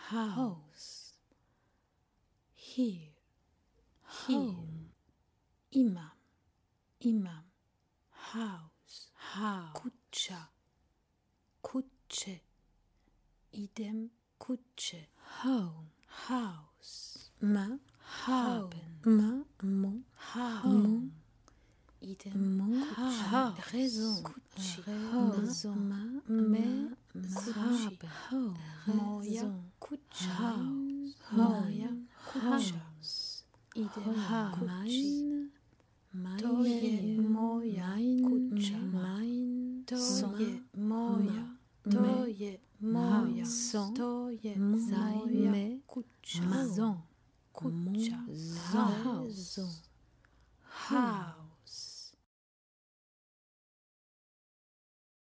house, here, home, imam, house, kuća, kuće, idem kuće, home, house, haben, home, idem kuće, raison, kuće, moja kuća, moja kuća, idem kući, to je moja kuća, to je moja, to je moja, to je moja kuća, kuća,